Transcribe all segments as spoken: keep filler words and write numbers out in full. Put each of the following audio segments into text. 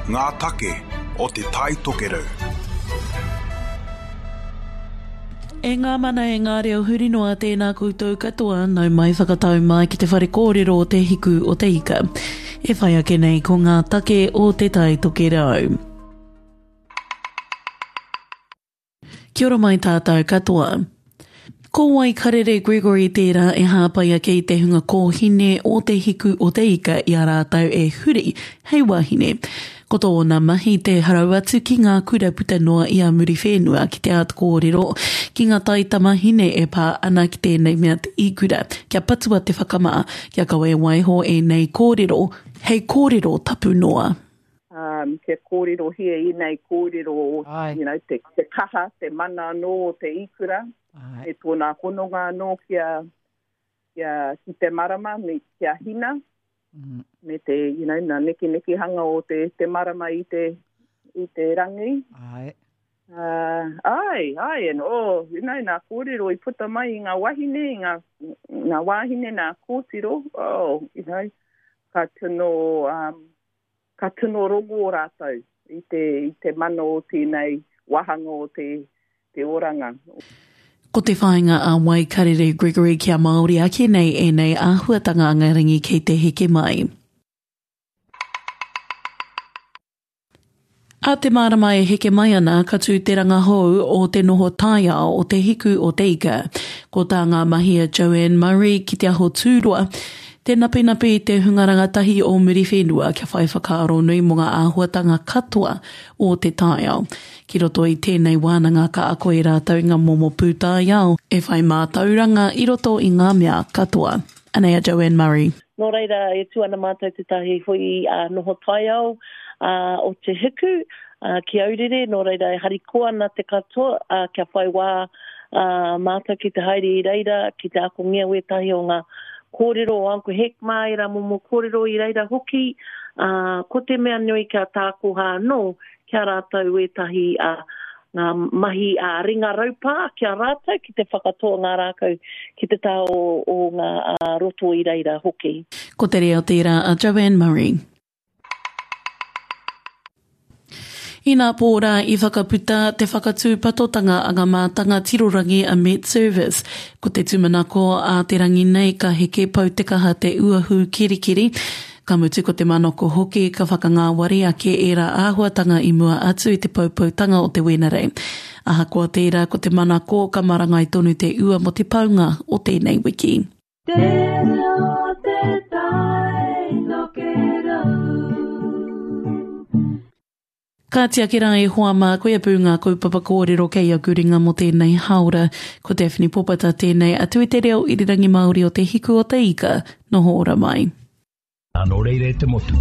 Ngā take o Te Tai Tokerau. E ngā mana e ngā reo huri noa tēnā koutou katoa, nau mai whakatau mai ki te whare kōrero o Te Hiku o Te Ika. E whai ake nei ko ngā take o Te Tai Tokerau. Kia ora mai tātou katoa. Ko Waikarere Gregory tērā e hāpai ake i te hunga kōhine o Te Hiku o Te Ika i a rātou e huri hei wahine. Ko tōna mahi te harau atu ki ngā kura puta noa i a Muriwhenua ki te āta kōrero ki ngā taitamahine e pā ana ki tēnei mea te ikura, kia patua te whakamā, kia kaua e waiho ēnei kōrero hei kōrero tapu noa. Um, kia kōrerohia ēnei kōrero, you know, te, te kaha, te mana anō o te ikura, Ai. me tōna hononga anō kia, kia, ki te marama, me kia hina, mm. me te, you know, nā nekenekehanga o te, te marama i te, i te rangi. Ai. Uh, ai, ai, and oh, you know, nā kōrero i puta mai i ngā wahine, i ngā, ngā wāhine, nā kōtiro, oh, you know, ka tino, um, ka tino rongo rātou i te, i te mana o tēnei wāhanga o te, te oranga. Ko te whāinga a Waikarere Gregory kia Māori ake nei ēnei āhuatanga angarangi kei te heke mai. A te marama e heke mai ana ka tū te rangahou o te noho taiao o Te Hiku o Te Ika. Ko tā ngā mahi a Joanne Murray ki te aho tūroa, te napenape i te hunga rangatahi o Muriwhenua kia whai whakaaro nui mō ngā āhuatanga katoa o te taiao. Ki roto i tēnei wānanga ka ako e rātou ngā momo pūtaiao e whai mātauranga i roto i ngā mea katoa. Anei a Joanne Murray. Nō reira, e tū ana mātou tētahi hui uh, noho taiao uh, o Te Hiku uh, ki Aurere, nō reira e harikoa ana te katoa uh, kia whai wā uh, mātou ki te haere i reira, ki te akongia wētahi o ngā kōrero o Uncle Hek mā, ērā momo kōrero i reira hoki. Uh, ko te mea nui kia tākoha anō, kia rātou wētahi uh, ngā mahi a ringa raupā kia rātou ki te whakatoa ngā rākau ki te taha o, o ngā uh, roto i reira hoki. Ko te reo tērā a Joanne Murray. Ina pōrā i whakaputa te whakatūpatotanga a ngā mātanga tirorangi a Met Service. Ko te tūmanako a te rangi nei ka heke pau te kaha te uahu kirikiri. Ka mutu ko te manako hoki ka whakangāwari ake ērā āhuatanga i mua atu i te poupoutanga o te Wenerei. Ahakoa tērā ko te manako ka marangai tonu te ua mo te paunga o tēnei wiki. Te reo te tai tokerau. Ka tiaki rā e hoa mā, koia pū ngā kaupapa kōrero kei aku ringa mō tēnei haora. Ko Daphne Popata tēnei atu i te reo irirangi Māori o Te Hiku o Te Ika. Noho ora mai. Nō reira e te motu,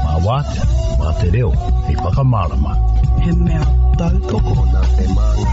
mā wātea, mā te reo, hei whakamārama. He mea tautoko. Nā te māngai.